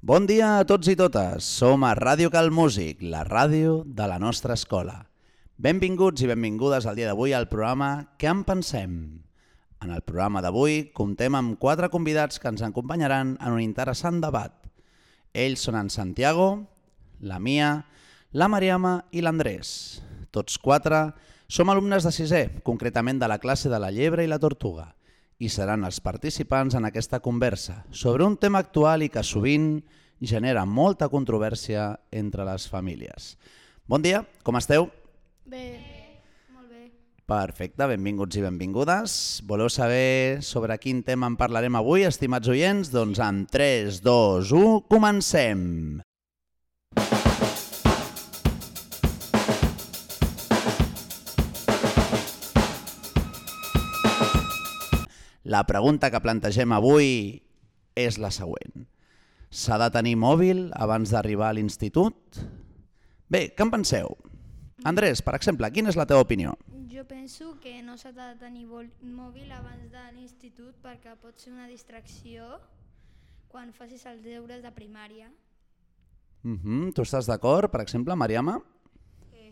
Bon dia a tots i totes, som a Ràdio Cal Músic, la ràdio de la nostra escola. Benvinguts i benvingudes al dia d'avui al programa Què en pensem? En el programa d'avui comptem amb 4 convidats que ens acompanyaran en un interessant debat. Ells són en Santiago, la Mia, la Mariama i l'Andrés. Tots 4 som alumnes de 6è, concretament de la classe de la llebre i la tortuga, i seran els participants en aquesta conversa sobre un tema actual i que sovint genera molta controvèrsia entre les famílies. Bon dia, com esteu? Bé, molt bé. Perfecte, benvinguts i benvingudes. Voleu saber sobre quin tema en parlarem avui, estimats oients? Doncs en 3, 2, 1, comencem! La pregunta que plantegem avui és la següent. S'ha de tenir mòbil abans d'arribar a l'institut? Bé, què en penseu? Andrés, per exemple, quina és la teva opinió? Jo penso que no s'ha de tenir mòbil abans de l'institut perquè pot ser una distracció quan facis els deures de primària. Tu estàs d'acord, per exemple, Mariama?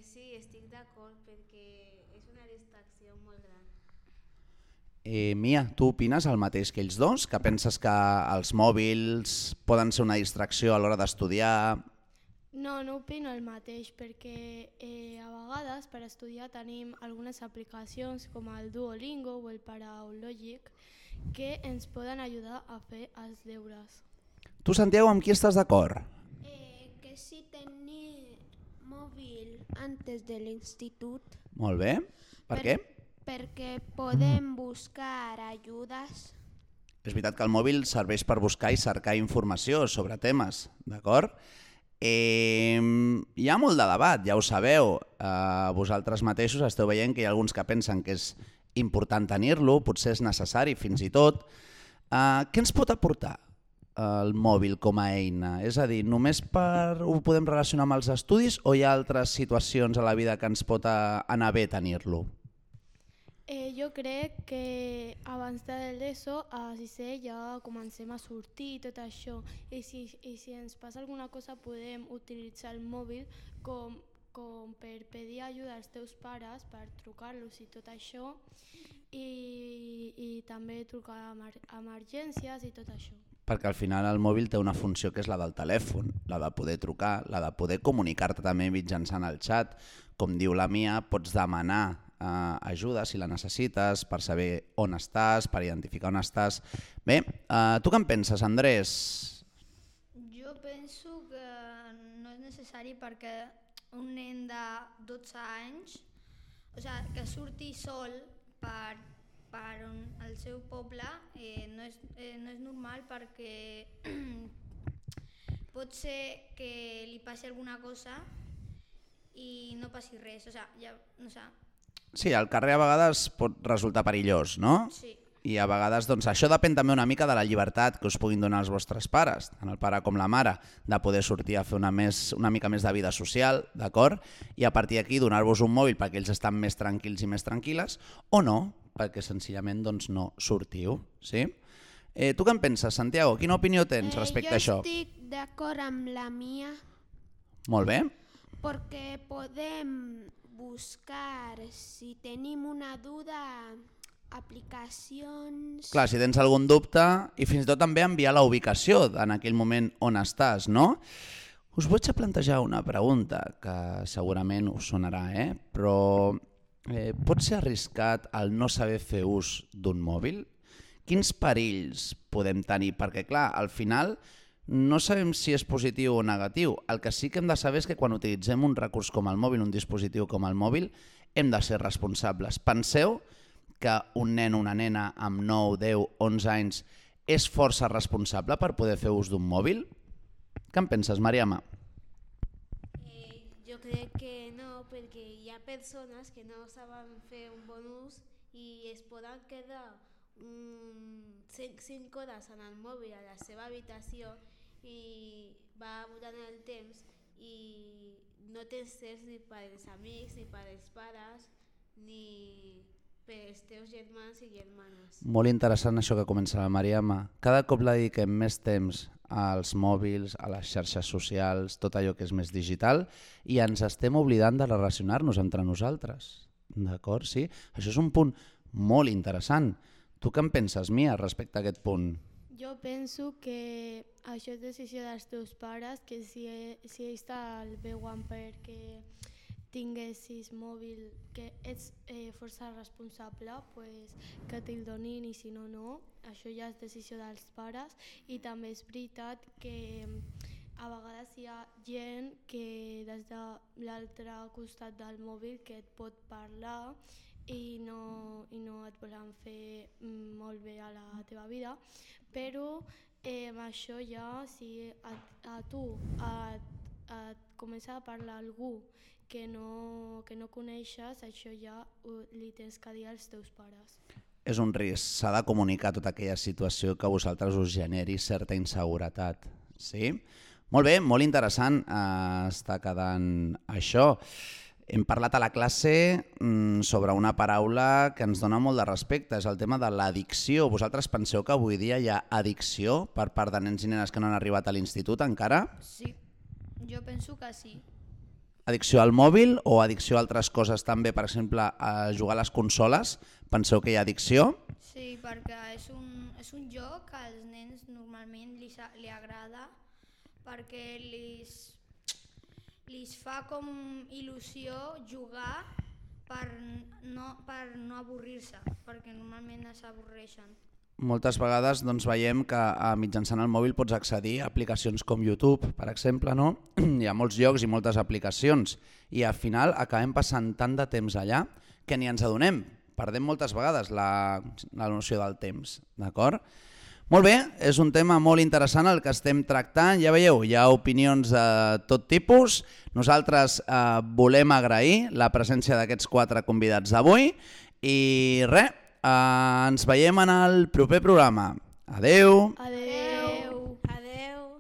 Sí, estic d'acord perquè és una distracció molt gran. Mia, tu opines el mateix que ells dos? Que penses que els mòbils poden ser una distracció a l'hora d'estudiar? No opino el mateix perquè a vegades per estudiar tenim algunes aplicacions com el Duolingo o el Paraulògic que ens poden ajudar a fer els deures. Tu, Santiago, amb qui estàs d'acord? Que sí tenir mòbil antes de l'institut. Molt bé. Per què? Perquè podem buscar ajudes. És veritat que el mòbil serveix per buscar i cercar informació sobre temes, d'acord? Hi ha molt de debat, ja ho sabeu. Vosaltres mateixos esteu veient que hi ha alguns que pensen que és important tenir-lo, potser és necessari fins i tot. Què ens pot aportar el mòbil com a eina? És a dir, només ho podem relacionar amb els estudis o hi ha altres situacions a la vida que ens pot anar bé tenir-lo? Jo crec que abans de l'ESO a 6è ja comencem a sortir i tot això i si ens passa alguna cosa podem utilitzar el mòbil com per pedir ajuda als teus pares, per trucar-los i tot això i també trucar a emergències i tot això. Perquè al final el mòbil té una funció que és la del telèfon, la de poder trucar, la de poder comunicar-te també mitjançant el xat. Com diu la Mia, pots demanar ajuda si la necessites per saber on estàs, per identificar on estàs. Bé, tu què en penses, Andrés? Jo penso que no és necessari perquè un nen de 12 anys, que surti sol per al seu poble no és normal perquè pot ser que li passi alguna cosa i no passi res. Sí, al carrer a vegades pot resultar perillós, no? Sí. I a vegades doncs, això depèn també una mica de la llibertat que us puguin donar els vostres pares, tant el pare com la mare, de poder sortir a fer una mica més de vida social, d'acord? I a partir d'aquí donar-vos un mòbil perquè ells estan més tranquils i més tranquil·les, o no, perquè senzillament doncs, no sortiu. Sí? Tu què en penses, Santiago? Quina opinió tens respecte a això? Jo estic d'acord amb la Mia Molt bé. perquè podem buscar, si tenim una duda, aplicacions. Clar, si tens algun dubte i fins i tot també enviar la ubicació en aquell moment on estàs, no? Us vaig a plantejar una pregunta que segurament us sonarà, però pot ser arriscat el no saber fer ús d'un mòbil? Quins perills podem tenir? Perquè clar, al final no sabem si és positiu o negatiu. El que sí que hem de saber és que quan utilitzem un recurs com el mòbil, un dispositiu com el mòbil, hem de ser responsables. Penseu que un nen o una nena amb 9, 10, 11 anys és força responsable per poder fer ús d'un mòbil? Què en penses, Mariama? Jo crec que no, perquè hi ha persones que no saben fer un bon ús i es poden quedar 5 hores en el mòbil a la seva habitació i va votant el temps i no tens temps ni per als amics, ni per als pares, ni pels teus germans i germanes. Molt interessant això que comença la Mariama. Cada cop la dediquem més temps als mòbils, a les xarxes socials, tot allò que és més digital, i ens estem oblidant de relacionar-nos entre nosaltres. D'acord? Sí? Això és un punt molt interessant. Tu què en penses, Mia, respecte a aquest punt? Jo penso que això és decisió dels teus pares, que si ells te'l veuen perquè tinguessis mòbil, que ets força responsable, pues, que te'l donin i si no, no. Això ja és decisió dels pares i també és veritat que a vegades hi ha gent que des de l'altre costat del mòbil que et pot parlar i no et volen fer molt bé a la teva vida, però això ja, si a tu et comença a parlar algú que no coneixes, això ja li tens que dir als teus pares. És un risc, s'ha de comunicar tota aquella situació que a vosaltres us generi certa inseguretat. Sí? Molt bé, molt interessant està quedant això. Hem parlat a la classe sobre una paraula que ens dona molt de respecte, és el tema de l'addicció. Vosaltres penseu que avui dia hi ha addicció per part de nens i nenes que no han arribat a l'institut encara? Sí, jo penso que sí. Addicció al mòbil o addicció a altres coses també, per exemple, a jugar a les consoles? Penseu que hi ha addicció? Sí, perquè és un joc que als nens normalment li agrada perquè li fa com il·lusió jugar per no avorrir-se, perquè normalment s'avorreixen. Moltes vegades doncs, veiem que mitjançant el mòbil pots accedir a aplicacions com YouTube, per exemple, no? Hi ha molts llocs i moltes aplicacions i al final acabem passant tant de temps allà que ni ens adonem. Perdem moltes vegades la noció del temps, d'acord? Molt bé, és un tema molt interessant el que estem tractant. Ja veieu, hi ha opinions de tot tipus. Nosaltres volem agrair la presència d'aquests 4 convidats d'avui i res, ens veiem en el proper programa. Adeu! Adeu! Adeu!